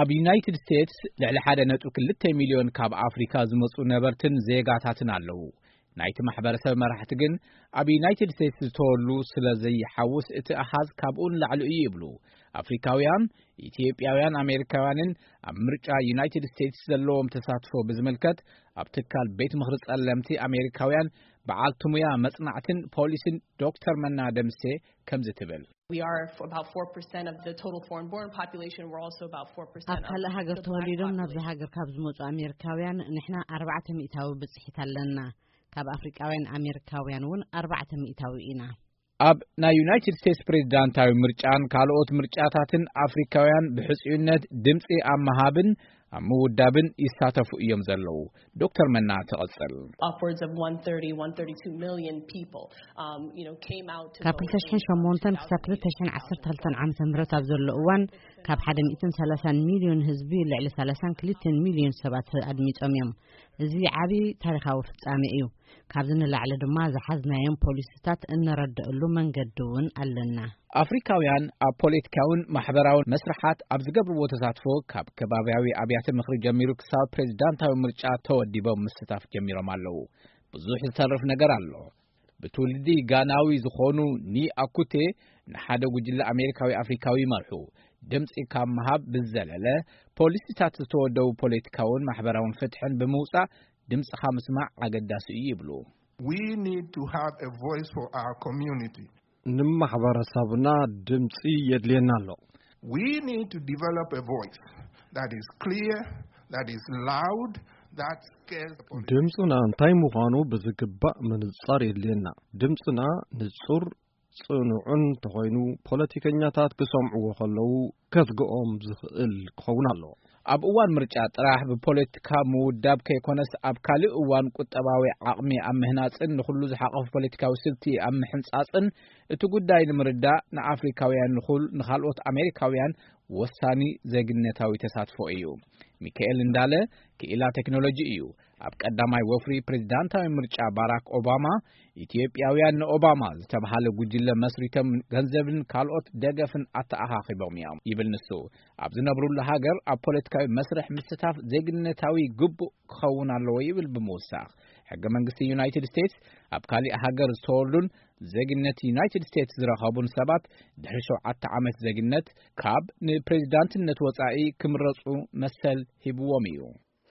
ኣብ ዩናይትድ ስቴትስ ልዕሊ ሓደ ነጥቢ ክልተ ሚልዮን ካብ ኣፍሪካ ዝመጹ ነበርትን ዜጋታትን ኣለዉ። ናይቲ ማሕበረሰብ መራሕቲ ግን ኣብ ዩናይትድ ስቴትስ ዝተወሉ ስለ ዘይሓውስ እቲ ኣሃዝ ካብኡ ንላዕሊ እዩ ይብሉ። ኣፍሪካውያን፣ ኢትዮጵያውያን ኣሜሪካውያንን ኣብ ምርጫ ዩናይትድ ስቴትስ ዘለዎም ተሳትፎ ብዝምልከት ኣብ ትካል ቤት ምኽሪ ጸለምቲ ኣሜሪካውያን በዓልቲ ሙያ መጽናዕትን ፖሊሲን ዶክተር መና ደምሴ ከምዚ ትብል። We are f- about four percent of the total foreign born population. We're also about four percent. ኣብ ካልእ ሃገር ተወሊዶም ናብዚ ሃገር ካብ ዝመፁ ኣሜሪካውያን ንሕና ኣርባዕተ ሚእታዊ ብፅሒት ኣለና። ካብ ኣፍሪቃውያን ኣሜሪካውያን እውን ኣርባዕተ ሚእታዊ ኢና። ኣብ ናይ ዩናይትድ ስቴትስ ፕሬዚዳንታዊ ምርጫን ካልኦት ምርጫታትን ኣፍሪካውያን ብሕፅዩነት ድምፂ ኣብ ምሃብን ኣብ ምውዳብን ይሳተፉ እዮም ዘለዉ። ዶክተር መና ትቕጽል። Upwards of one thirty, one thirty-two million people, um, you know, came out to ካብ vote in ክልተ ሽሕን ሸሞንተን ክሳብ ክልተ ሽሕን ዓሰርተ ክልተን ዓመተ ምህረት ኣብ ዘሎ እዋን ካብ ሓደ ሚእትን ሰላሳን ሚልዮን ህዝቢ ልዕሊ ሰላሳን ክልተን ሚልዮን ሰባት ኣድሚጾም እዮም። እዚ ዓቢ ታሪኻዊ ፍጻሜ እዩ። ካብዚ ንላዕሊ ድማ ዝሓዝናዮም ፖሊሲታት እንረድእሉ መንገዲ እውን ኣለና። ኣፍሪካውያን ኣብ ፖለቲካውን ማሕበራውን መስርሓት ኣብ ዝገብርዎ ተሳትፎ ካብ ከባብያዊ ኣብያተ ምኽሪ ጀሚሩ ክሳብ ፕሬዚዳንታዊ ምርጫ ተወዲቦም ምስታፍ ጀሚሮም ኣለዉ። ብዙሕ ዝተርፍ ነገር ኣሎ። ብትውልዲ ጋናዊ ዝኾኑ ኒ ኣኩቴ ንሓደ ጉጅለ ኣሜሪካዊ ኣፍሪካዊ ይመርሑ። ድምፂ ካብ ምሃብ ብዝዘለለ ፖሊሲታት ዝተወደቡ ፖለቲካውን ማሕበራውን ፍትሕን ብምውፃእ ድምፅኻ ምስማዕ ኣገዳሲ እዩ ይብሉ። We need to have a voice for our community. ንማሕበረሰብና ድምፂ የድልየና ኣሎ። We need to develop a voice that is clear, that is loud, that scares the politicians. ድምፅና እንታይ ምዃኑ ብዝግባእ ምንፃር የድልየና። ድምፅና ንፁር፣ ፅኑዕን ተኾይኑ ፖለቲከኛታት ክሰምዕዎ ከለዉ ከስግኦም ዝኽእል ክኸውን ኣለዎ። ኣብ እዋን ምርጫ ጥራሕ ብፖለቲካ ምውዳብ ከይኮነስ ኣብ ካልእ እዋን ቁጠባዊ ዓቕሚ ኣብ ምህናፅን ንኹሉ ዝሓቐፉ ፖለቲካዊ ስልቲ ኣብ ምሕንፃፅን እቲ ጉዳይ ንምርዳእ ንኣፍሪካውያን ንኹል ንኻልኦት ኣሜሪካውያን ወሳኒ ዜግነታዊ ተሳትፎ እዩ። ሚካኤል እንዳለ ክኢላ ቴክኖሎጂ እዩ። ኣብ ቀዳማይ ወፍሪ ፕሬዚዳንታዊ ምርጫ ባራክ ኦባማ ኢትዮጵያውያን ንኦባማ ዝተባሃለ ጉጅለ መስሪቶም ገንዘብን ካልኦት ደገፍን ኣተኣኻኺቦም እዮም ይብል ንሱ። ኣብ ዝነብሩሉ ሃገር ኣብ ፖለቲካዊ መስርሕ ምስታፍ ዜግነታዊ ግቡእ ክኸውን ኣለዎ ይብል ብምውሳኽ። ሕገ መንግስቲ ዩናይትድ ስቴትስ ኣብ ካሊእ ሃገር ዝተወሉን ዜግነት ዩናይትድ ስቴትስ ዝረኸቡን ሰባት ድሕሪ ሸውዓተ ዓመት ዜግነት ካብ ንፕሬዚዳንትነት ወፃኢ ክምረፁ መሰል ሂብዎም እዩ።